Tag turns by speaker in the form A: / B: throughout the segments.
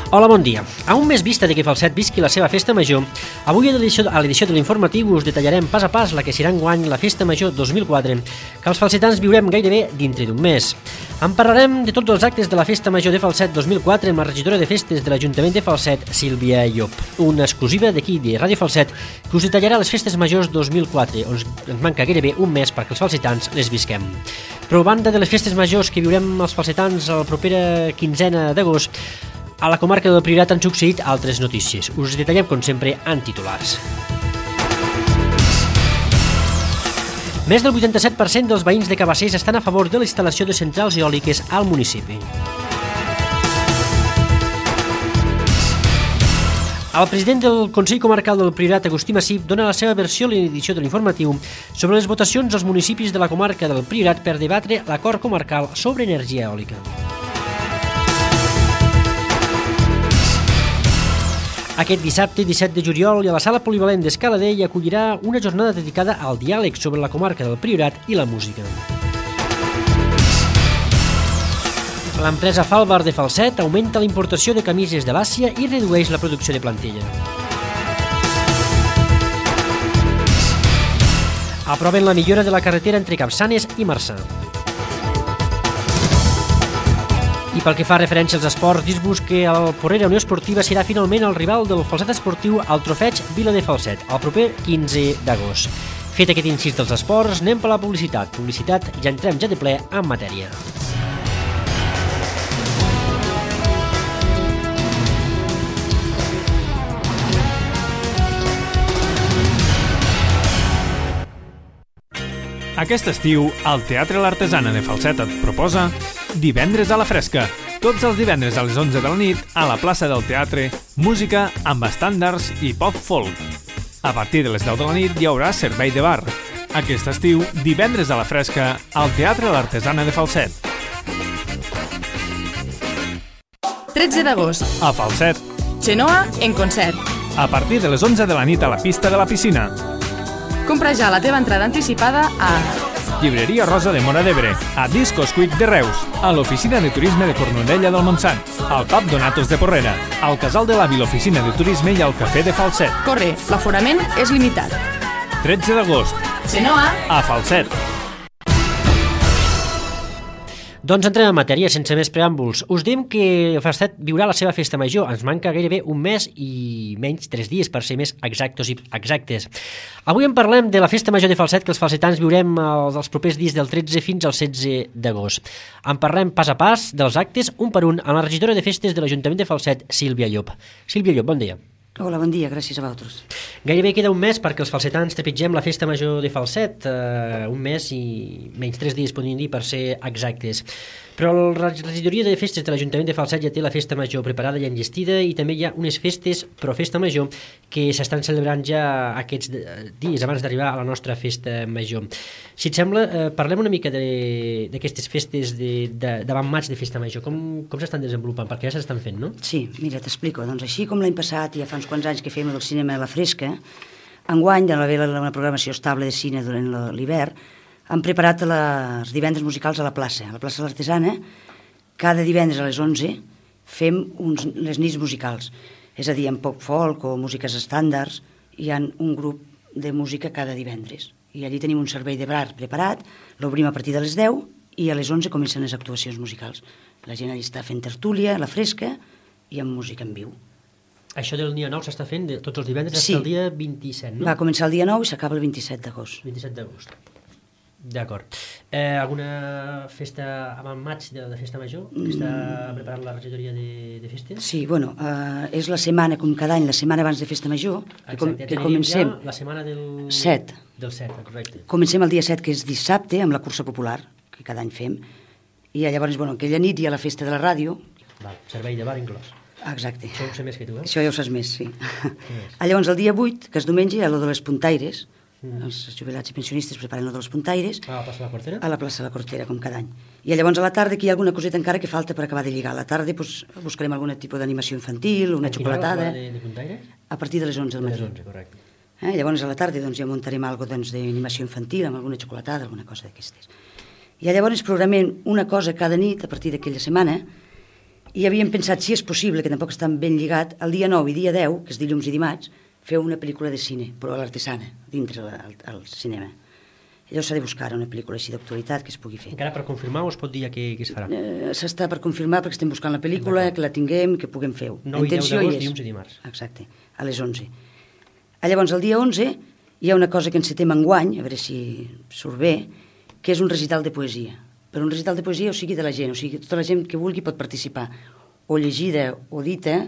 A: Hola, bon dia. A un mes vista de que Falset visqui la seva festa major, avui a l'edició de l'informatiu us detallarem pas a pas la que serà enguany la festa major 2004, que els falsetans viurem gairebé dintre d'un mes. En parlarem de tots els actes de la festa major de Falset 2004 amb la regidora de festes de l'Ajuntament de Falset, Sílvia Llop. Una exclusiva d'aquí de Ràdio Falset que us detallarà les festes majors 2004, on ens manca gairebé un mes perquè els falsetans les visquem. Però a banda de les festes majors que viurem els falsetans a la propera quinzena d'agost, a la comarca del Priorat han succeït altres notícies. Us detallem, com sempre, en titulars. Més del 87% dels veïns de Cabassers estan a favor de la instal·lació de centrals eòliques al municipi. El president del Consell Comarcal del Priorat, Agustí Massip, dona la seva versió a l'edició de l'informatiu sobre les votacions als municipis de la comarca del Priorat per debatre l'acord comarcal sobre energia eòlica. Aquest dissabte, 17 de juliol, a la sala polivalent d'Escaladei hi acollirà una jornada dedicada al diàleg sobre la comarca del Priorat i la música. L'empresa Falbar de Falset augmenta la importació de camises de l'Àsia i redueix la producció de plantilla. Aproven la millora de la carretera entre Capçanes i Marçà. I pel que fa referència als esports, dir-vos que el Porrera Unió Esportiva serà finalment el rival del Falset Esportiu al Trofeig Vila de Falset, el proper 15 d'agost. Fet aquest incís dels esports, anem per la publicitat. Ja entrem ja de ple en matèria.
B: Aquest estiu, el Teatre L'Artesana de Falset et proposa Divendres a la Fresca. Tots els divendres a les 11 de la nit, a la plaça del teatre, música amb estàndards i pop-folk. A partir de les 10 de la nit hi haurà servei de bar. Aquest estiu, Divendres a la Fresca, al Teatre L'Artesana de Falset.
C: 13 d'agost.
B: A Falset.
C: Xenoa en concert.
B: A partir de les 11 de la nit a la pista de la piscina.
C: Compra ja la teva entrada anticipada a
B: Llibreria Rosa de Móra d'Ebre, a Discos Quick de Reus, a l'Oficina de Turisme de Cornudella del Montsant, al Pub Donatos de Porrera, al Casal de l'Avi, l'Oficina de Turisme i al Cafè de Falset.
C: Corre, l'aforament és limitat.
B: 13 d'agost.
C: Xenoa
B: a Falset.
A: Doncs entrem en matèria, sense més preàmbuls. Us diem que Falset viurà la seva festa major. Ens manca gairebé un mes i menys 3 dies, per ser més exactes. Avui en parlem de la festa major de Falset, que els falsetans viurem els propers dies del 13 fins al 16 d'agost. En parlem pas a pas dels actes, un per un, amb la regidora de festes de l'Ajuntament de Falset, Sílvia Llop. Sílvia Llop, bon dia.
D: Hola, bon dia, gràcies a vosaltres.
A: Gairebé queda un mes perquè els falsetans trepitgem la festa major de Falset, un mes i menys 3 dies, podríem dir, per ser exactes. Però la regidoria de festes de l'Ajuntament de Falset ja té la festa major preparada i enllestida i també hi ha unes festes pro festa major que s'estan celebrant ja aquests dies abans d'arribar a la nostra festa major. Si et sembla, parlem una mica d'aquestes festes d'avant maig de festa major. Com s'estan desenvolupant? Perquè ja s'estan fent, no?
D: Sí, mira, t'explico. Doncs així com l'any passat, ja fa uns quants anys que fèiem el cinema a la Fresca, enguany, de l'haver una programació estable de cine durant l'hivern, han preparat els divendres musicals a la plaça de l'Artesana. Cada divendres a les 11 fem les nits musicals, és a dir, amb poc folk o músiques estàndards. Hi ha un grup de música cada divendres i allí tenim un servei de bar preparat, l'obrim a partir de les 10 i a les 11 comencen les actuacions musicals. La gent allà està fent tertúlia, a la Fresca i amb música en viu.
A: Això del dia 9 s'està fent tots els divendres fins al dia 27, no?
D: Va començar el dia 9 i s'acaba el 27 d'agost.
A: 27 d'agost. D'acord. Alguna festa avant maig de festa major que està preparant la regidoria de festes?
D: Sí, bueno, és la setmana, com cada any, la setmana abans de festa major, que comencem...
A: Ja la setmana del
D: 7.
A: Del 7, correcte.
D: Comencem el dia 7, que és dissabte, amb la cursa popular, que cada any fem, i llavors, bueno, aquella nit hi ha la festa de la ràdio.
A: Val, servei de bar inclòs.
D: Exacte.
A: Això ho sé més que tu,
D: Això ja ho saps més, sí. Llavors, el dia 8, que és diumenge, hi ha lo de les puntaires. Els jubilats i pensionistes preparen lo de les puntaires.
A: A la plaça de la Cortera?
D: A la plaça de la Cortera, com cada any. I llavors a la tarda aquí hi ha alguna coseta encara que falta per acabar de lligar. A la tarda buscarem algun tipus d'animació infantil, una xocolatada.
A: De puntaires?
D: A partir de les 11 del matí.
A: De les 11, correcte.
D: Llavors a la tarda ja muntarem alguna cosa d'animació infantil, amb alguna xocolatada, alguna cosa d'aquestes. I llavors programem una cosa cada nit a partir d'aquella setmana I havíem pensat, si és possible, que tampoc estan ben lligat, el dia 9 i dia 10, que és dilluns i dimarts, feu una pel·lícula de cine, però a l'Artesana, dintre al cinema. Llavors s'ha de buscar una pel·lícula així d'actualitat que es pugui fer.
A: Encara per confirmar o es pot dir ja que es farà?
D: S'està per confirmar perquè estem buscant la pel·lícula, que la tinguem, que puguem fer-ho.
A: 9 i 10 d'agost, dilluns i dimarts.
D: Exacte, a les 11. Llavors, el dia 11 hi ha una cosa que encetem enguany, a veure si surt bé, que és un recital de poesia. Però un recital de poesia, o sigui, de la gent, o sigui, tota la gent que vulgui pot participar, o llegida o dita,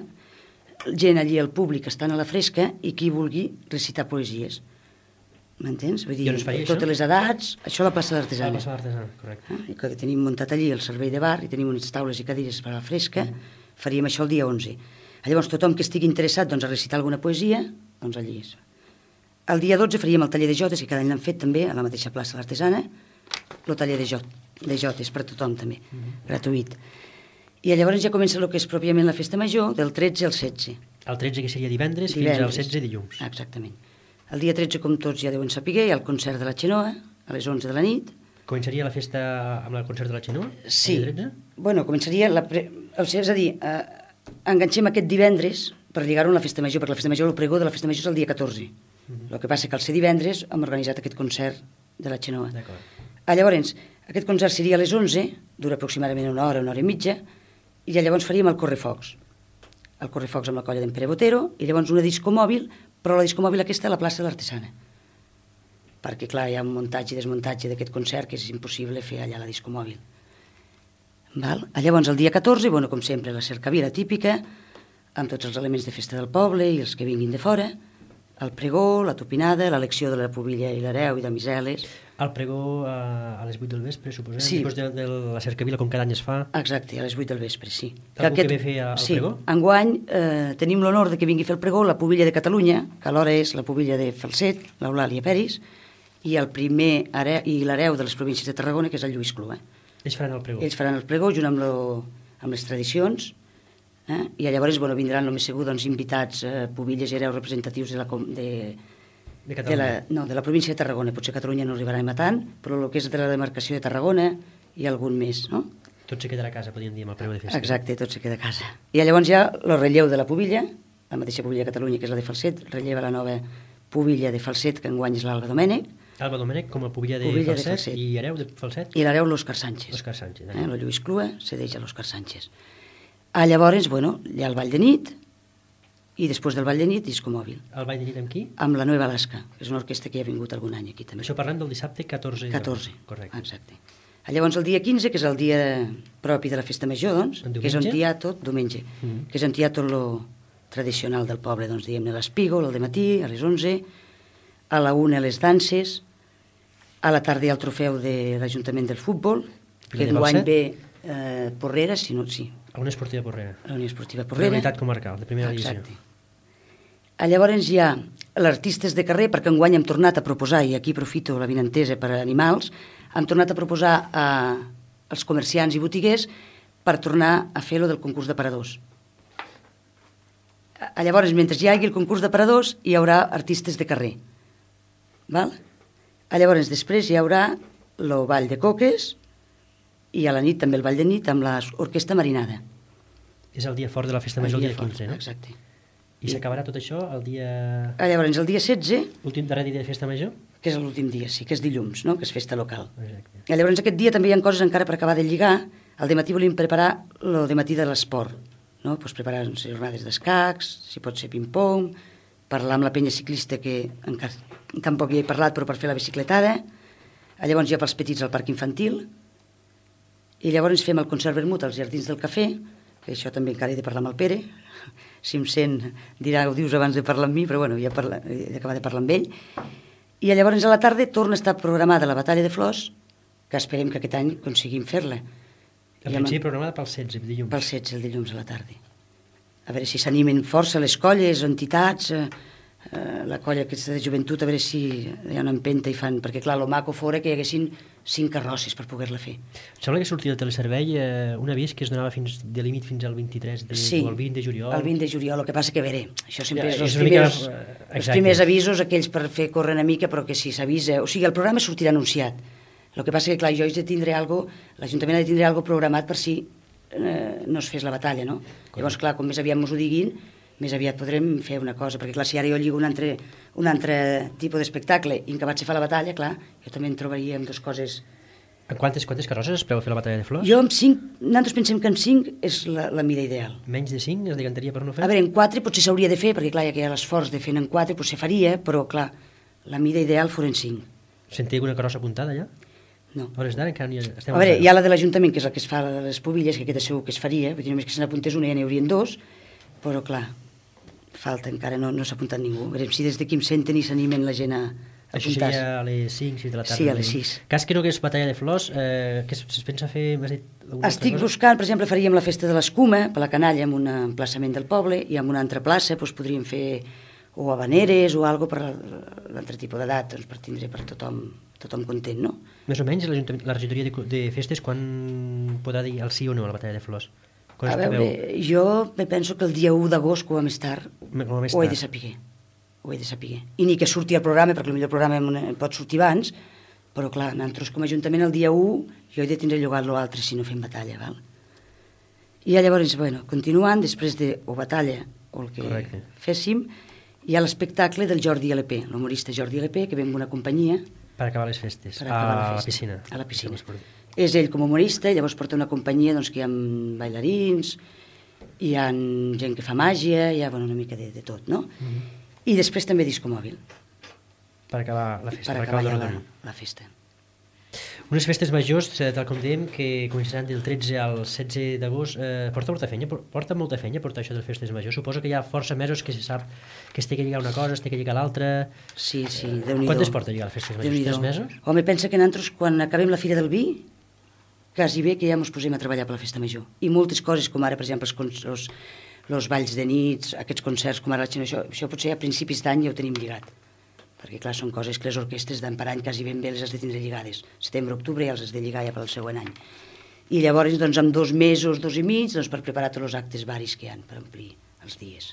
D: gent allí al públic estan a la fresca i qui vulgui recitar poesies. M'entens? Vull dir, totes les edats, això a la plaça d'Artesana.
A: La plaça d'Artesana, correcte.
D: I que tenim muntat allí el servei de bar i tenim unes taules i cadires per a la fresca, faríem això el dia 11. Llavors, tothom que estigui interessat doncs, a recitar alguna poesia, doncs allí és. El dia 12 faríem el taller de jotes, que cada any l'han fet també, a la mateixa plaça de l'Artesana, el taller de jotes per tothom també, gratuït. I llavors ja comença el que és pròpiament la festa major, del 13 al 16.
A: El 13 que seria divendres fins al 16 dilluns.
D: Exactament. El dia 13, com tots ja deuen saber, hi ha el concert de la Xenoa, a les 11 de la nit.
A: Començaria la festa amb el concert de la Xenoa?
D: Sí. Bueno, començaria... és a dir, enganxem aquest divendres per lligar-ho amb la festa major, perquè la festa major, el pregó de la festa major és el dia 14. El que passa que al ser divendres hem organitzat aquest concert de la Xenoa. Llavors, aquest concert seria a les 11, dura aproximadament una hora i mitja, i llavors faríem el correfocs. El correfocs amb la colla d'en Pere Botero, i llavors una disco mòbil, però la disco mòbil aquesta a la plaça de l'Artesana. Perquè, clar, hi ha un muntatge i desmuntatge d'aquest concert que és impossible fer allà la disco mòbil. Llavors, el dia 14, bueno, com sempre, la cercavila típica, amb tots els elements de festa del poble i els que vinguin de fora, el pregó, la tupinada, l'elecció de la pubilla i l'hereu i de miseles.
A: El pregó a les 8 del vespre, suposem?
D: Sí.
A: Després de la cercavila, com cada any es fa?
D: Exacte, a les 8 del vespre, sí.
A: Algú que ve fer el pregó?
D: Sí, enguany tenim l'honor de que vingui a fer el pregó la pubilla de Catalunya, que alhora és la pubilla de Falset, l'Eulàlia Peris, i el primer i l'hereu de les províncies de Tarragona, que és el Lluís Clua.
A: Ells faran el pregó?
D: Ells faran el pregó junt amb les tradicions, i llavors vindran, només segur, invitats pubilles i hereus representatius de la província de Tarragona. Potser Catalunya no arribarà a tant, però el que és de la demarcació de Tarragona i algun més, no?
A: Tot se quedarà a casa, podríem dir, amb el pregó de festa.
D: Exacte, tot se queda a casa. I llavors hi ha el relleu de la pubilla, la mateixa pubilla de Catalunya, que és la de Falset, relleva la nova pubilla de Falset, que enguany és l'Alba Domènech.
A: Alba Domènech com a pubilla de Falset i hereu de Falset?
D: I l'hereu l'Òscar Sánchez.
A: Òscar Sánchez.
D: El Lluís Clua cedeix a l'Òscar Sánchez. Llavors, hi ha el ball de nit, i després del ball de nit, disco mòbil.
A: El ball de nit amb qui?
D: Amb la Nueva Alaska, que és una orquestra que hi ha vingut algun any aquí també.
A: Això parlant del dissabte 14.
D: 14,
A: correcte.
D: Exacte. Llavors el dia 15, que és el dia propi de la festa major, doncs, que és on hi ha tot, diumenge, que és on hi ha tot lo tradicional del poble, doncs, diguem-ne, l'espígol, al dematí, a les 11, a la 1 les danses, a la tarda hi ha el trofeu de l'Ajuntament del Futbol, que enguany ve Porrera, si no, sí.
A: A Unió Esportiva Porrera.
D: A la Unió Esportiva Porrera.
A: Realitat comarcal, de primera divisió.
D: Exacte. Llavors hi ha l'artistes de carrer, perquè enguany hem tornat a proposar, i aquí aprofito la vinentesa per a animals, hem tornat a proposar als comerciants i botiguers per tornar a fer lo del concurs d'aparadors. Llavors, mentre hi hagi el concurs d'aparadors, hi haurà artistes de carrer. Llavors, després hi haurà el ball de coques, i a la nit també el ball de nit amb l'orquestra marinada.
A: És el dia fort de la festa major, el dia 15, no?
D: Exacte.
A: I s'acabarà tot això el dia...
D: Llavors, el dia 16...
A: L'últim darrer dia de festa major?
D: Que és l'últim dia, sí, que és dilluns, no? Que és festa local.
A: Exacte.
D: Llavors, aquest dia també hi ha coses encara per acabar de lligar. Al dematí volíem preparar el dematí de l'esport, no? Pues preparar jornades d'escacs, si pot ser ping-pong, parlar amb la penya ciclista, que encara tampoc hi he parlat, però per fer la bicicletada. Llavors hi ha pels petits al parc infantil. I llavors fem el concert vermut als Jardins del Cafè, que això també encara he de parlar amb el Pere, si em sent dirà ho dius abans de parlar amb mi, però bueno, ja he d'acabar de parlar amb ell. I llavors a la tarda torna a estar programada la batalla de flors, que esperem que aquest any aconseguim fer-la.
A: En principi programada pel 16, dilluns.
D: Pel 16, el dilluns a la tarda. A veure si s'animen força les colles, entitats, la colla aquesta de joventut, a veure si hi ha una empenta i fan... Perquè, clar, el maco fora que hi haguessin 5 carrosses per poder-la fer.
A: Sembla que sortia del teleservei un avís que es donava de límit fins al 23
D: sí,
A: o el 20 de juliol.
D: El 20 de juliol, el que passa que, a veure, això sempre és
A: els
D: primers avisos, aquells per fer córrer una mica, però que si s'avisa... O sigui, el programa sortirà anunciat. El que passa que, clar, jo he de tindre l'Ajuntament ha de tindre alguna programat per si no es fes la batalla, no? Llavors, clar, com més aviat mos ho diguin, més aviat podrem fer una cosa, perquè clar, si ara jo lligo un altre tipus d'espectacle i en que vaig a fer la batalla, clar, jo també en trobaria amb dues coses.
A: En quantes carrosses es preveu fer la batalla de flors?
D: Jo amb 5, nosaltres pensem que amb 5 és la mida ideal.
A: Menys de 5 es decantaria per no fer?
D: A veure, en 4 potser s'hauria de fer, perquè clar, ja que hi ha l'esforç de fer en 4, potser faria, però clar, la mida ideal fos en 5.
A: Sentia alguna carrossa apuntada ja?
D: No.
A: A hores d'ara encara no hi estem...
D: A veure, hi ha la de l'Ajuntament, que és la que es fa de les pobilles, que aquesta segur que es faria, vull dir, només que se n'apuntés una ja n'hi haurien 2, però clar, falta, encara no s'ha apuntat ningú. Veurem si des d'aquí em senten i s'animen la gent a apuntar-se.
A: Això seria a les 5, 6 de la tarda.
D: Sí, a les 6.
A: Cas que no que és batalla de flors, que es pensa fer...
D: Estic buscant, per exemple, faríem la festa de l'escuma, per la canalla, en un emplaçament del poble, i en una altra plaça doncs, podríem fer o habaneres o algo per l'altre tipus d'edat, doncs, per tindre per tothom content, no?
A: Més o menys la regidoria de festes quan podrà dir el sí o no a la batalla de flors?
D: A veure, jo penso que el dia 1 d'agost, com a més tard, ho he de saber. Ho he de saber. I ni que surti el programa, perquè potser el programa pot sortir abans, però clar, nosaltres com a Ajuntament el dia 1 jo he de tindre llogat l'altre si no fem batalla, val? I llavors, bueno, continuant, després de o batalla o el que féssim, hi ha l'espectacle del Jordi LP, l'humorista Jordi LP, que ve amb una companyia.
A: Per acabar les festes, a la piscina.
D: A la piscina. És ell com a humorista, llavors porta una companyia doncs, que hi ha bailarins, hi ha gent que fa màgia, hi ha una mica de tot, no? I després també disco mòbil.
A: Per acabar la festa.
D: Per acabar la festa.
A: Unes festes majors, tal com dèiem, que començaran del 13 al 16 d'agost. Porta molta feina portar això de les festes majors. Suposo que hi ha força mesos que se sap que es té que lligar una cosa, es té que lligar l'altra.
D: Sí, Déu-n'hi-do.
A: Quantes porta lligar les festes majors? 3 mesos?
D: Home, pensa que nosaltres, quan acabem la Fira del Vi, quasi bé que ja ens posem a treballar per la festa major. I moltes coses, com ara, per exemple, els balls de nits, aquests concerts, com ara això potser a principis d'any ja ho tenim lligat. Perquè, clar, són coses que les orquestres d'any per any quasi ben bé les has de tindre lligades. Setembre, octubre ja els has de lligar ja pel següent any. I llavors, doncs, amb 2 mesos, 2 i mig, doncs, per preparar tots els actes varis que hi ha, per omplir els dies.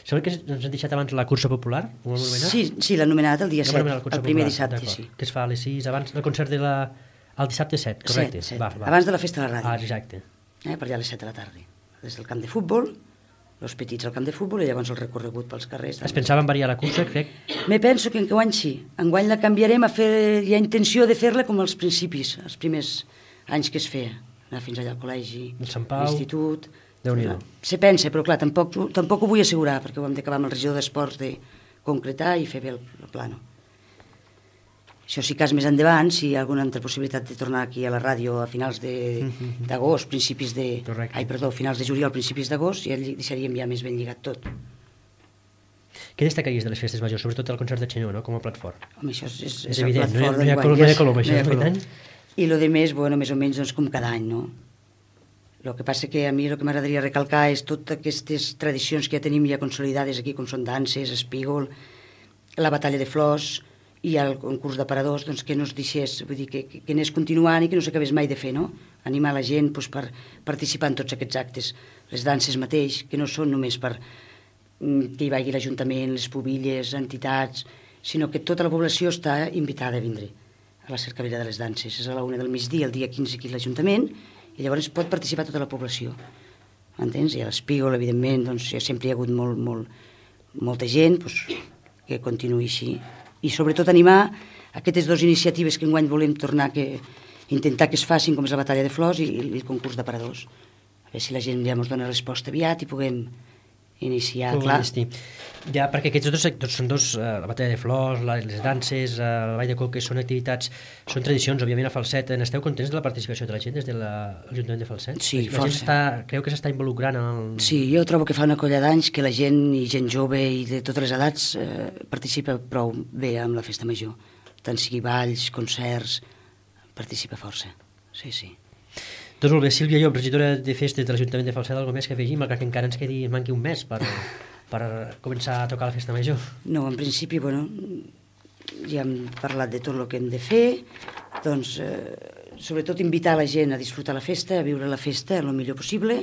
A: Sembla que ens han deixat abans la cursa popular, ho hem anomenat?
D: Sí, l'ha anomenat el dia 7, el primer dissabte, sí.
A: Que es fa a les 6, abans del concert el dissabte 7, correcte?
D: 7, abans de la festa de la ràdio.
A: Exacte.
D: Per allà a les 7 de la tarda. Des del camp de futbol, els petits al camp de futbol i llavors el recorregut pels carrers.
A: Es pensava en variar la cursa, crec?
D: Me penso que enguany sí. Enguany la canviarem hi ha intenció de fer-la com als principis, els primers anys que es feia. Anar fins allà al col·legi, a l'institut...
A: Déu-n'hi-do.
D: Se pensa, però clar, tampoc ho vull assegurar, perquè ho hem d'acabar amb el regidor d'Esports de concretar i fer bé el plano. Això sí que és més endavant, si hi ha alguna altra possibilitat de tornar aquí a la ràdio a finals d'agost, finals de juliol, principis d'agost, ja deixaríem ja més ben lligat tot.
A: Què destacaries de les festes majors? Sobretot el concert de Xenó, no? Com a plat fort.
D: Home, això és
A: evident, no hi ha color, això és veritat.
D: I el de més, més o menys, doncs, com cada any, no? El que passa que a mi el que m'agradaria recalcar és totes aquestes tradicions que ja tenim ja consolidades aquí, com són danses, espígol, la batalla de flors i el concurs d'aparadors, doncs, que no es deixés, vull dir, que anés continuant i que no s'acabés mai de fer, no? Animar la gent doncs, per participar en tots aquests actes. Les danses mateix, que no són només per que hi vagi l'Ajuntament, les pobilles, entitats, sinó que tota la població està invitada a vindre a la cercavila de les danses. És a la 1 del migdia, el dia 15 aquí a l'Ajuntament, i llavors pot participar tota la població. M'entens? I a l'Espígol, evidentment, doncs, sempre hi ha hagut molta gent que continuï així. I sobretot animar aquestes 2 iniciatives que enguany volem tornar intentar que es facin, com és la batalla de flors i el concurs d'aparadors. A veure si la gent ja ens dona resposta aviat i puguem iniciar, clar.
A: Ja, perquè aquests dos sectors són dos, la batalla de flors, les danses, el ball de coques, són activitats, són tradicions, òbviament, a Falset. N'esteu contents de la participació de la gent des de l'Ajuntament de Falset?
D: Sí,
A: la gent creu que s'està involucrant en el...
D: Sí, jo trobo que fa una colla d'anys que la gent, i gent jove i de totes les edats, participa prou bé amb la festa major. Tant sigui balls, concerts, participa força. Sí.
A: Doncs molt bé, Sílvia Llop, regidora de festes de l'Ajuntament de Falset, alguna més que afegim, malgrat que encara ens manqui un mes per començar a tocar la festa major.
D: No, en principi, ja hem parlat de tot el que hem de fer, doncs, sobretot invitar la gent a disfrutar la festa, a viure la festa el millor possible,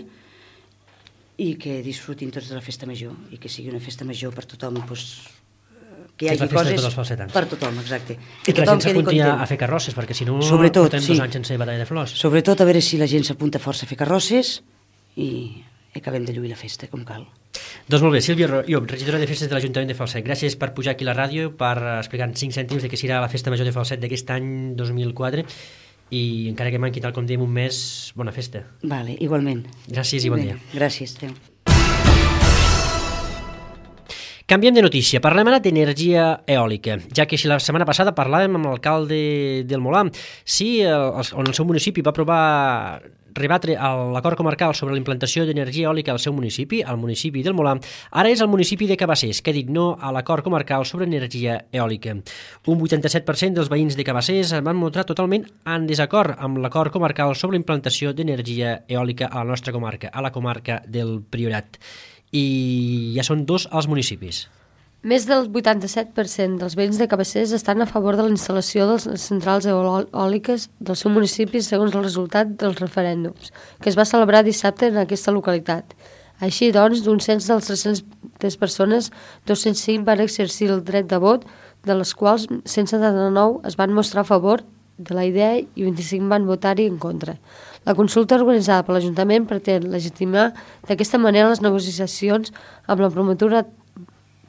D: i que disfrutin tots de la festa major, i que sigui una festa major per tothom, que hi
A: És la
D: hagi
A: festa de
D: coses
A: tots els falsetans.
D: per tothom, exacte.
A: I que la gent s'apunti a fer carrosses, perquè si no portem 2 anys sense batalla de flors.
D: Sobretot a veure si la gent s'apunta força a fer carrosses i acabem de lluir la festa com cal.
A: Doncs molt bé, Sílvia Llop, regidora de festes de l'Ajuntament de Falset, gràcies per pujar aquí a la ràdio, per explicar en 5 cèntims de què serà la festa major de Falset d'aquest any 2004 i encara que manqui, tal com diem, un mes, bona festa.
D: Vale, igualment.
A: Gràcies i bon dia.
D: Gràcies, adéu.
A: Canviem de notícia, parlem ara d'energia eòlica, ja que si la setmana passada parlàvem amb l'alcalde del Molar, sí, on el seu municipi va aprovar rebatre l'acord comarcal sobre la implantació d'energia eòlica al seu municipi, al municipi del Molar, ara és el municipi de Cabassers, que ha dit no a l'acord comarcal sobre energia eòlica. Un 87% dels veïns de Cabassers van mostrar totalment en desacord amb l'acord comarcal sobre la implantació d'energia eòlica a la nostra comarca, a la comarca del Priorat. I ja són 2 als municipis.
E: Més del 87% dels veïns de Cabassers estan a favor de la instal·lació de les centrals eòliques del seu municipi segons el resultat dels referèndums, que es va celebrar dissabte en aquesta localitat. Així, doncs, d'un cens dels 300 persones, 205 van exercir el dret de vot, de les quals 179 es van mostrar a favor de la idea i 25 van votar-hi en contra. La consulta organitzada per l'Ajuntament pretén legitimar d'aquesta manera les negociacions amb la promotora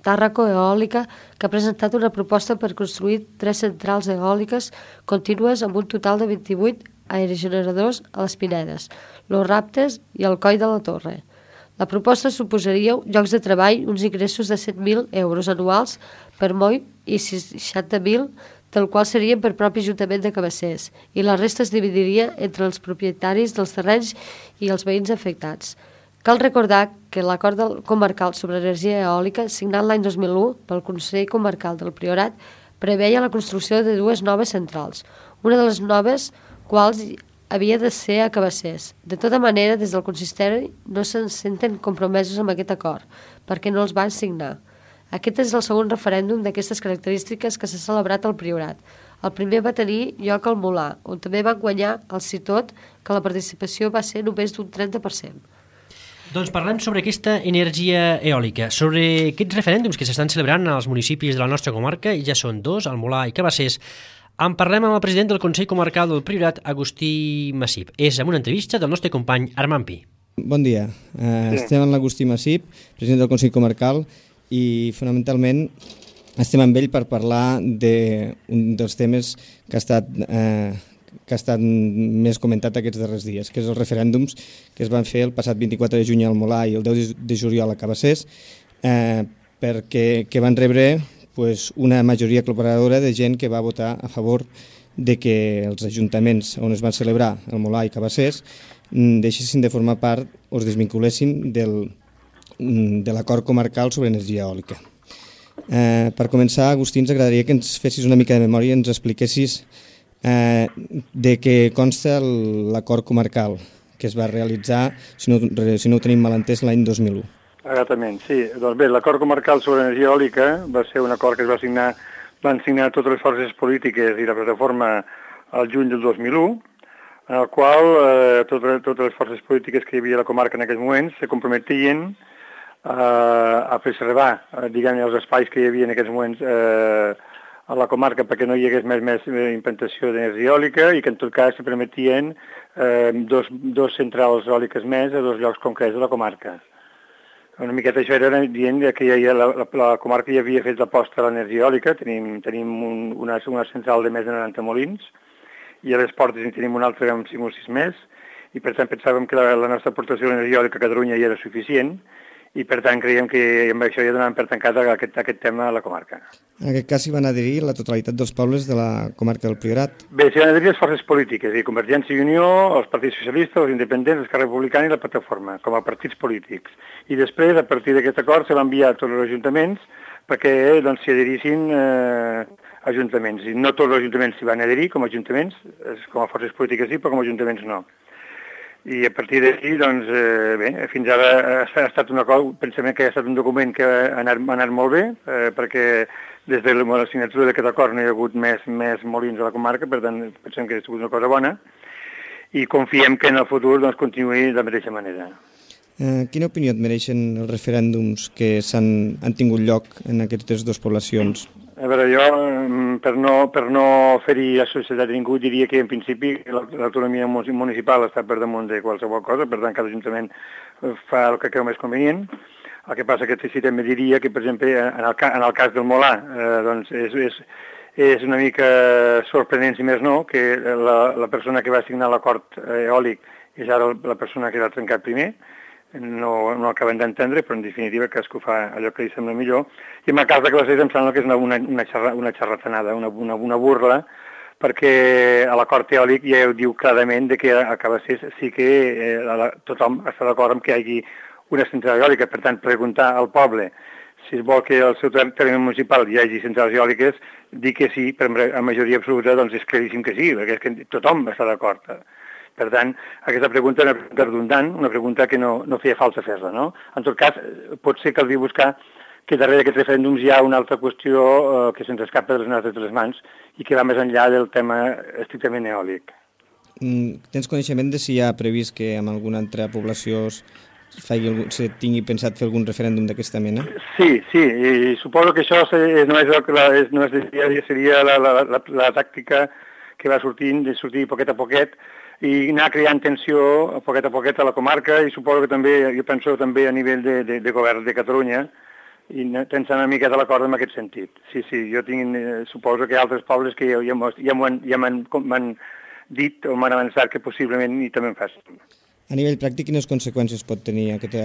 E: Tàrraco Eòlica, que ha presentat una proposta per construir 3 centrals eòliques contínues amb un total de 28 aerogeneradors a les Pinedes, Los Raptes i el Coll de la Torre. La proposta suposaria llocs de treball, uns ingressos de 7.000 euros anuals per moll i 60.000, del qual serien per propi Ajuntament de Cabassers, i la resta es dividiria entre els propietaris dels terrenys i els veïns afectats. Cal recordar que l'acord comarcal sobre energia eòlica, signat l'any 2001 pel Consell Comarcal del Priorat, preveia la construcció de 2 noves centrals, una de les noves quals havia de ser a Cabassers. De tota manera, des del consistori no se'n senten compromesos amb aquest acord, perquè no els van signar. Aquest és el segon referèndum d'aquestes característiques que s'ha celebrat al Priorat. El primer va tenir lloc al Molar, on també van guanyar el sí tot, que la participació va ser només d'un 30%.
A: Doncs parlem sobre aquesta energia eòlica, sobre aquests referèndums que s'estan celebrant als municipis de la nostra comarca, i ja són 2, al Molar i Cabassers. En parlem amb el president del Consell Comarcal del Priorat, Agustí Massip. És amb una entrevista del nostre company Armand Pi.
F: Bon dia, estem amb l'Agustí Massip, president del Consell Comarcal, i fonamentalment estem amb ell per parlar d'un dels temes que ha estat més comentat aquests darrers dies, que és els referèndums que es van fer el passat 24 de juny al Molar i el 10 de juliol a Cabassers, que van rebre una majoria aclaparadora de gent que va votar a favor de que els ajuntaments on es van celebrar el Molar i Cabassers deixessin de formar part o es desvinculessin de l'acord comarcal sobre energia eòlica. Per començar, Agustí, ens agradaria que ens fessis una mica de memòria i ens expliquessis de què consta l'acord comarcal que es va realitzar, si no ho tenim mal entès, l'any 2001.
G: Exactament, sí. Doncs bé, l'acord comarcal sobre energia eòlica va ser un acord que van signar totes les forces polítiques i la plataforma al juny del 2001, en el qual totes les forces polítiques que hi havia a la comarca en aquells moments se comprometien a preservar, diguem-ne, els espais que hi havia en aquests moments a la comarca perquè no hi hagués més implantació d'energia eòlica i que en tot cas se permetien dos centrals eòliques més a 2 llocs concrets de la comarca. Una miqueta això era dient que la comarca ja havia fet l'aposta a l'energia eòlica, tenim una central de més de 90 molins i a les Portes en tenim una altra amb 5 o 6 més i per tant pensàvem que la nostra aportació a l'energia eòlica a Catalunya ja era suficient i per tant creiem que amb això ja donàvem per tancat aquest tema a la comarca.
F: En aquest cas hi van adherir la totalitat dels pobles de la comarca del Priorat?
G: Bé, s'hi van adherir les forces polítiques, Convergència i Unió, els partits socialistes, els independents, Esquerra Republicana i la plataforma, com a partits polítics. I després, a partir d'aquest acord, se va enviar a tots els ajuntaments perquè s'hi adherissin ajuntaments. I no tots els ajuntaments s'hi van adherir com a ajuntaments, com a forces polítiques sí, però com a ajuntaments no. I a partir d'aquí, doncs, bé, fins ara ha estat un acord, pensem que ha estat un document que ha anat molt bé, perquè des de la signatura d'aquest acord no hi ha hagut més molins a la comarca, per tant, pensem que ha sigut una cosa bona, i confiem que en el futur continuï de la mateixa manera.
F: Quina opinió et mereixen els referèndums que han tingut lloc en aquestes 2 poblacions?
G: A veure, jo, per no ferir la societat de ningú, diria que en principi l'autonomia municipal està per damunt de qualsevol cosa, per tant cada ajuntament fa el que creu més convenient. El que passa que sí també diria que, per exemple, en el cas del Molà, doncs és una mica sorprenent, si més no, que la persona que va signar l'acord eòlic és ara la persona que l'ha trencat primer. No acaben d'entendre, però en definitiva cadascú fa allò que li sembla millor. I en el cas de Cabassers em sembla que és una xarratanada, una burla, perquè a l'acord eòlic ja ho diu clarament que a Cabassers sí que tothom està d'acord amb que hi hagi una central eòlica. Per tant, preguntar al poble si es vol que al seu terme municipal hi hagi centrals eòliques, dir que sí, per a majoria absoluta, doncs és claríssim que sí, perquè és que tothom està d'acord. Per tant, aquesta pregunta és una pregunta redundant, una pregunta que no feia falta fer-la, no? En tot cas, potser caldria buscar que darrere d'aquests referèndums hi ha una altra qüestió que se'ns escapa de les mans i que va més enllà del tema estrictament eòlic.
F: Tens coneixement de si hi ha previst que en alguna altra població se tingui pensat fer algun referèndum d'aquesta mena?
G: Sí, i suposo que això seria la tàctica que va sortir poquet a poquet, i anar creant tensió a poquet a la comarca, i suposo que també, jo penso també a nivell de govern de Catalunya, i pensant una miqueta l'acord en aquest sentit. Sí, jo suposo que hi ha altres pobles que ja m'han dit o m'han avançat que possiblement i també en facin.
F: A nivell pràctic, quines conseqüències pot tenir aquest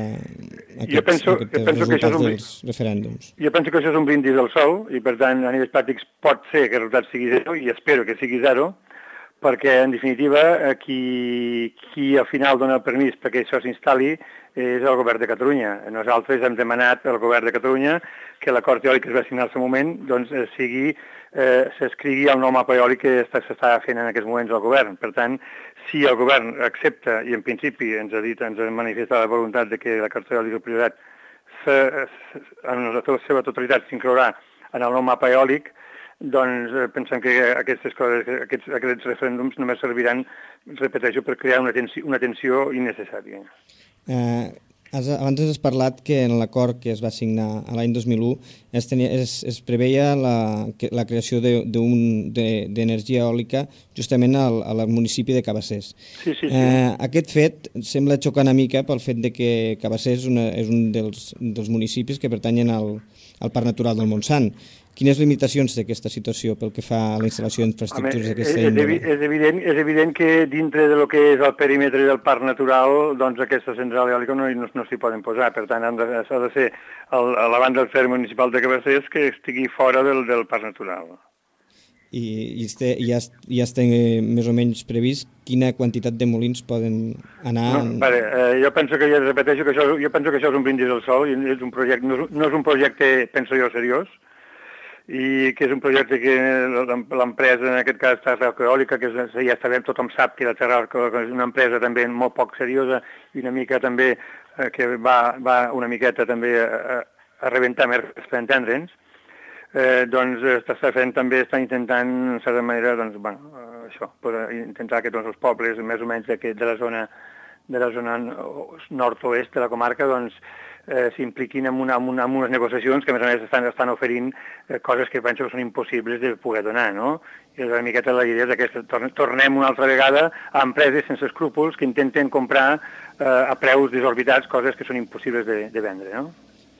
F: resultat dels referèndums?
G: Jo penso que això és un brindis al sol, i per tant, a nivell pràctic pot ser que el resultat sigui zero, i espero que sigui zero, perquè, en definitiva, qui al final dona el permís perquè això s'instal·li és el govern de Catalunya. Nosaltres hem demanat al govern de Catalunya que l'acord eòlic que es va signar al seu moment doncs, s'escrigui el nou mapa eòlic que s'està fent en aquests moments al govern. Per tant, si el govern accepta, i en principi ens ha manifestat la voluntat de que l'acord eòlic del Priorat en la seva totalitat s'inclourà en el nou mapa eòlic, doncs pensem que aquests referèndums només serviran, repeteixo, per crear una tensió innecessària.
F: Abans has parlat que en l'acord que es va signar l'any 2001 es preveia la creació d'energia eòlica justament al municipi de Cabassers.
G: Sí.
F: Aquest fet sembla xocar una mica pel fet de que Cabassers és un dels municipis que pertanyen al Parc Natural del Montsant. Quines limitacions té aquesta situació pel que fa a la instal·lació d'infraestructures d'aquesta índole?
G: És evident que dintre del que és el perímetre del Parc Natural, doncs aquesta central eòlica no s'hi poden posar. Per tant, s'ha de ser a la banda del terme municipal de Cabassers que estigui fora del Parc Natural.
F: I ja està més o menys previst quina quantitat de molins poden anar...
G: Jo penso que això és un brindis al sol, no és un projecte, penso jo, seriós, i que és un projecte que l'empresa, en aquest cas, Terra Eòlica, que ja sabem, tothom sap que la Terra Eòlica és una empresa també molt poc seriosa i una mica també que va una miqueta també a rebentar més per entendre'ns, doncs està intentant, en certa manera, doncs, això, intentar que tots els pobles, més o menys de la zona nord-oest de la comarca, doncs, s'impliquin en unes negociacions que, a més a més, estan oferint coses que penso que són impossibles de poder donar, no? I una miqueta la idea és que tornem una altra vegada a empreses sense escrúpols que intenten comprar a preus desorbitats coses que són impossibles de vendre, no?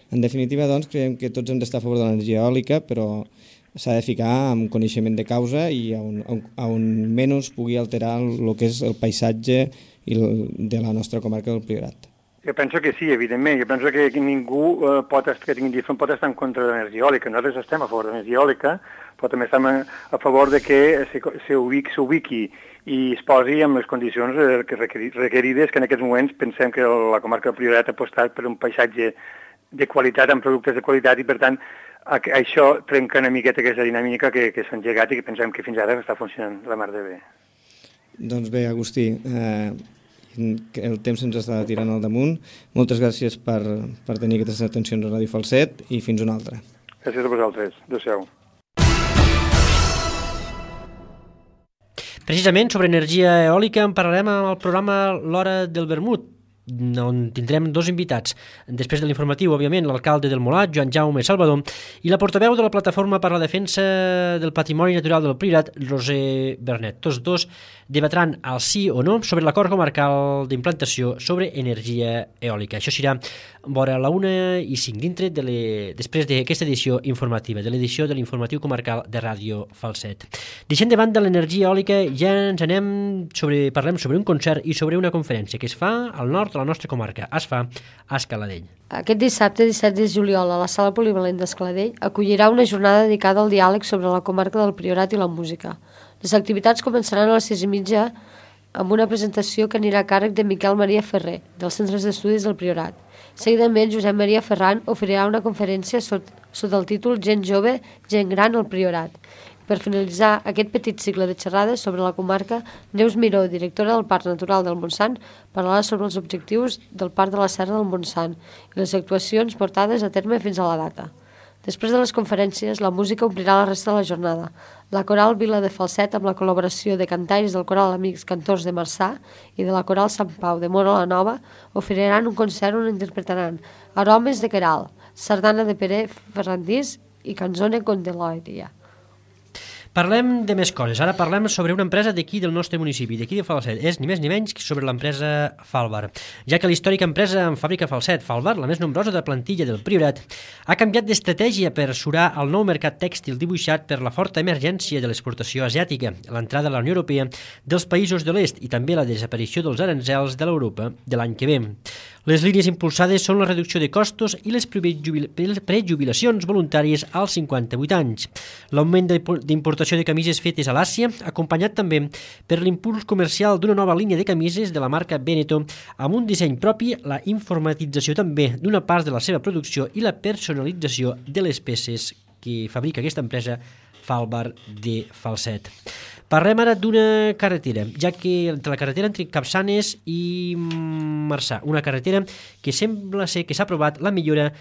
F: En definitiva, doncs, creiem que tots hem d'estar a favor de l'energia eòlica, però s'ha de ficar amb coneixement de causa i on menys pugui alterar el que és el paisatge de la nostra comarca del Priorat.
G: Jo penso que sí, evidentment. Jo penso que ningú que tingui diferent pot estar en contra de l'energia eòlica. Nosaltres estem a favor de l'energia eòlica, però també estem a favor de que s'ubiqui i es posi amb les condicions requerides, que en aquests moments pensem que la comarca del Priorat ha apostat per un paisatge de qualitat, amb productes de qualitat, i per tant això trenca una miqueta aquesta dinàmica que s'ha engegat i que pensem que fins ara està funcionant la mar de bé.
F: Doncs bé, Agustí, el temps ens està tirant al damunt. Moltes gràcies per tenir aquestes atencions a Ràdio Falset i fins una altra.
G: Gràcies a vosaltres. Adéu-siau.
A: Precisament sobre energia eòlica en parlarem amb el programa L'Hora del Vermut. on tindrem dos invitats. Després de l'informatiu, òbviament, l'alcalde del Molat, Joan Jaume Salvador, i la portaveu de la Plataforma per la Defensa del Patrimoni Natural del Priorat, Roser Bernet. Tots dos debatran el sí o no sobre l'acord comarcal d'implantació sobre energia eòlica. Això serà vora la 1:05 després d'aquesta edició informativa, de l'edició de l'informatiu comarcal de Ràdio Falset. Deixant de banda l'energia eòlica, ja ens parlem sobre un concert i sobre una conferència que es fa al nord de la nostra comarca. Es fa a Escaladell.
E: Aquest dissabte, 17 de juliol, a la Sala Polivalent d'Escaladell, acollirà una jornada dedicada al diàleg sobre la comarca del Priorat i la música. Les activitats començaran a les 6:30 amb una presentació que anirà a càrrec de Miquel Maria Ferrer, dels Centres d'Estudis del Priorat. Seguidament, Josep Maria Ferran oferirà una conferència sota el títol Gent jove, gent gran al Priorat. Per finalitzar aquest petit cicle de xerrades sobre la comarca, Neus Miró, directora del Parc Natural del Montsant, parlarà sobre els objectius del Parc de la Serra del Montsant i les actuacions portades a terme fins a la data. Després de les conferències, la música omplirà la resta de la jornada. La Coral Vila de Falset, amb la col·laboració de cantaires del Coral Amics Cantors de Marçà i de la Coral Sant Pau de Móra la Nova, oferiran un concert on interpretaran Aromes de Queralt, Sardana de Pere Ferrandís i Canzone Condelòria.
A: Parlem de més coses. Ara parlem sobre una empresa d'aquí del nostre municipi, d'aquí de Falset. És ni més ni menys que sobre l'empresa Falbar. Ja que l'històrica empresa en fàbrica Falset, Falbar, la més nombrosa de plantilla del Priorat, ha canviat d'estratègia per surar el nou mercat tèxtil dibuixat per la forta emergència de l'exportació asiàtica, l'entrada a la Unió Europea dels països de l'est i també la desaparició dels aranzels de l'Europa de l'any que ve. Les línies impulsades són la reducció de costos i les prejubilacions voluntàries als 58 anys, l'augment d'importació de camises fetes a l'Àsia, acompanyat també per l'impuls comercial d'una nova línia de camises de la marca Veneto, amb un disseny propi, la informatització també d'una part de la seva producció i la personalització de les peces que fabrica aquesta empresa Falbar de Falset. Parlem ara d'una carretera, ja que entre la carretera entre Capçanes i Marçà, una carretera que sembla ser que s'ha aprovat la millora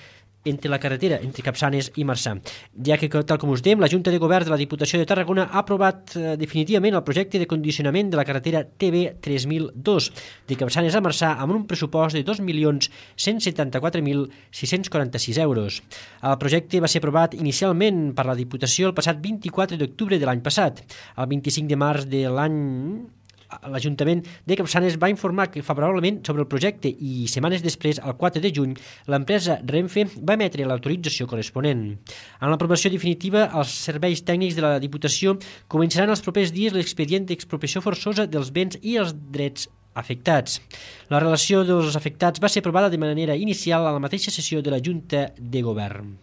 A: entre la carretera entre Capçanes i Marçà, ja que, tal com us dèiem, la Junta de Govern de la Diputació de Tarragona ha aprovat definitivament el projecte de condicionament de la carretera TB 3002 de Capçanes a Marçà amb un pressupost de 2.174.646 euros. El projecte va ser aprovat inicialment per la Diputació el passat 24 d'octubre de l'any passat. El 25 de març de l'any l'Ajuntament de Capçanes va informar favorablement sobre el projecte i setmanes després, el 4 de juny, l'empresa Renfe va emetre l'autorització corresponent. En l'aprovació definitiva, els serveis tècnics de la Diputació començaran els propers dies l'expedient d'expropiació forçosa dels béns i els drets afectats. La relació dels afectats va ser aprovada de manera inicial a la mateixa sessió de la Junta de Govern.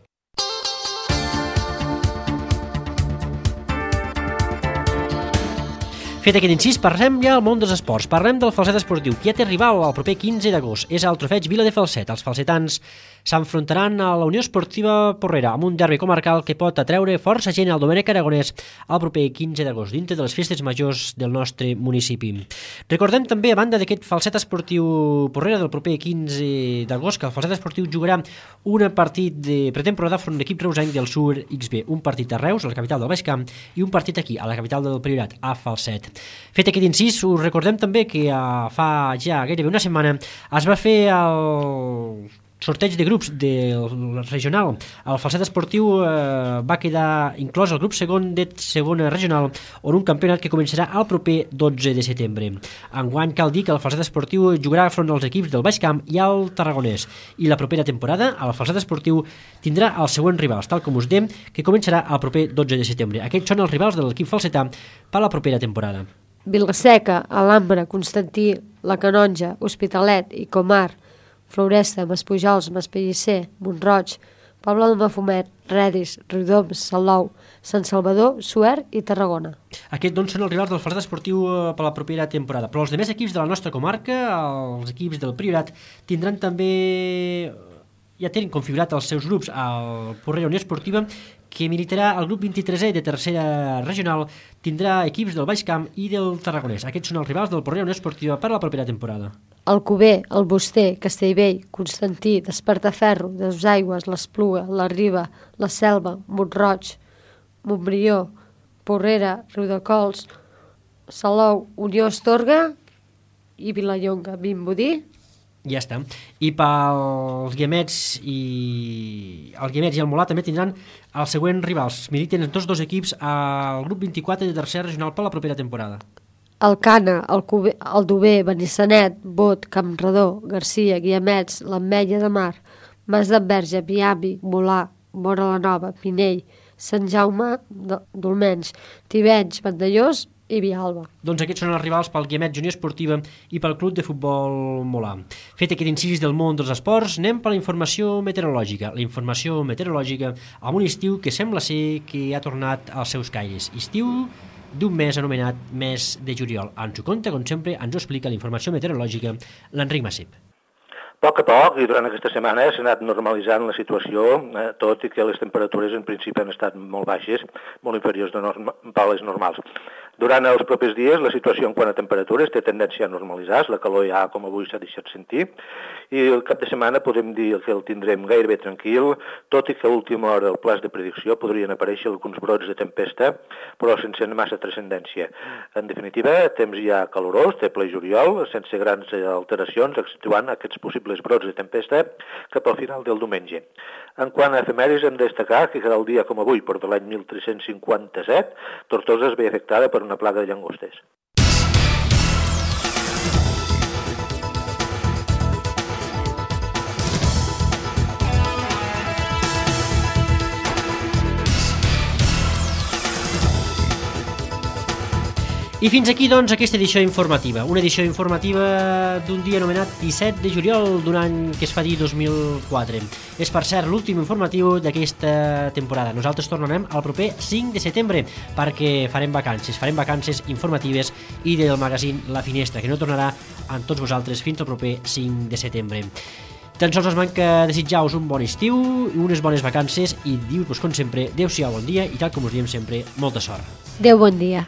A: Fet aquest incís, parlem ja al món dels esports. Parlem del Falset Esportiu, que ja té rival el proper 15 d'agost. És el Trofeig Vila de Falset. Els falsetans s'enfrontaran a la Unió Esportiva Porrera amb un derbi comarcal que pot atreure força gent al Domènec Aragonès el proper 15 d'agost, dintre de les festes majors del nostre municipi. Recordem també, a banda d'aquest Falset Esportiu Porrera del proper 15 d'agost, que el Falset Esportiu jugarà un partit de pretemporada front l'equip reusenc del Sur XB, un partit a Reus, a la capital del Baix Camp, i un partit aquí, a la capital del Priorat, a Falset. Fet aquest incís, us recordem també que fa ja gairebé una setmana es va fer el sorteig de grups del regional. El Falset Esportiu va quedar inclòs al grup segon de segona regional, on un campionat que començarà el proper 12 de setembre. Enguany cal dir que el Falset Esportiu jugarà front als equips del Baix Camp i al Tarragonès, i la propera temporada el Falset Esportiu tindrà els següents rivals, tal com us dèiem, que començarà el proper 12 de setembre. Aquests són els rivals de l'equip falsetà per a la propera temporada.
E: Vilaseca, Alhambra, Constantí, La Canonja, Hospitalet i Comar, Floresta, Maspujols, Maspellisser, Montroig, Poble del Mafumet, Redis, Riudoms, Salou, Sant Salvador, Suert i Tarragona. Aquests doncs són els rivals del Falset Esportiu per la propera temporada. Però els demés equips de la nostra comarca, els equips del Priorat, tindran també, ja tenen configurat els seus grups. El Porrera Unió Esportiva, que militarà el grup 23è de tercera regional, tindrà equips del Baix Camp i del Tarragonès. Aquests són els rivals del Porrera Unió Esportiva per a la propera temporada. Alcover, el Buster, Castellvell, Constantí, Despertaferro, Desaigües, l'Espluga, la Riba, la Selva, Montroig, Montbrió, Porrera, Riudecols, Salou, Unió Astorga i Vilallonga, Vimbodí
A: Ja està. I pels Guiamets i el Molà també tindran els següents rivals. Militen tots dos equips al grup 24 de tercera regional per la propera temporada.
E: El Cana, el Dober, Benissanet, Bot, Campredó, Garcia, Guiamets, l'Ametlla de Mar, Mas d'Enverge, Miami, Molà, Móra la Nova, Pinell, Sant Jaume d'Olmenys, Tivenys, Vandellós i Vilalba.
A: Doncs aquests són els rivals pel Guiamet Junior Esportiva i pel Club de Futbol Molà. Fet aquest incís del món dels esports, anem per la informació meteorològica. La informació meteorològica amb un estiu que sembla ser que ha tornat als seus caires. Estiu d'un mes anomenat mes de juliol. Ens ho conta, com sempre, ens ho explica la informació meteorològica l'Enric Massip.
H: A poc, i durant aquesta setmana s'ha anat normalitzant la situació, tot i que les temperatures en principi han estat molt baixes, molt inferiors a les normals. Durant els propers dies la situació en quant a temperatures té tendència a normalitzar, la calor ja com avui s'ha deixat sentir, i el cap de setmana podem dir que el tindrem gairebé tranquil, tot i que a última hora del pla de predicció podrien aparèixer alguns brots de tempesta, però sense massa transcendència. En definitiva, temps ja calorós, té ple juliol, sense grans alteracions, exceptuant aquests possibles brots de tempesta cap al final del diumenge. En quant a efemèrides, hem de destacar que cada dia com avui, per de l'any 1357, Tortosa es ve afectada per una plaga de llangostes.
A: I fins aquí, doncs, aquesta edició informativa. Una edició informativa d'un dia anomenat 17 de juliol d'un any que es fa dir 2004. És, per cert, l'últim informatiu d'aquesta temporada. Nosaltres tornarem al proper 5 de setembre perquè farem vacances informatives i del magazín La Finestra, que no tornarà amb tots vosaltres fins al proper 5 de setembre. Tan sols ens manca desitjar-vos un bon estiu, unes bones vacances i dir-vos, com sempre, adéu-siau, bon dia i, tal com us diem sempre, molta sort.
E: Adéu, bon dia.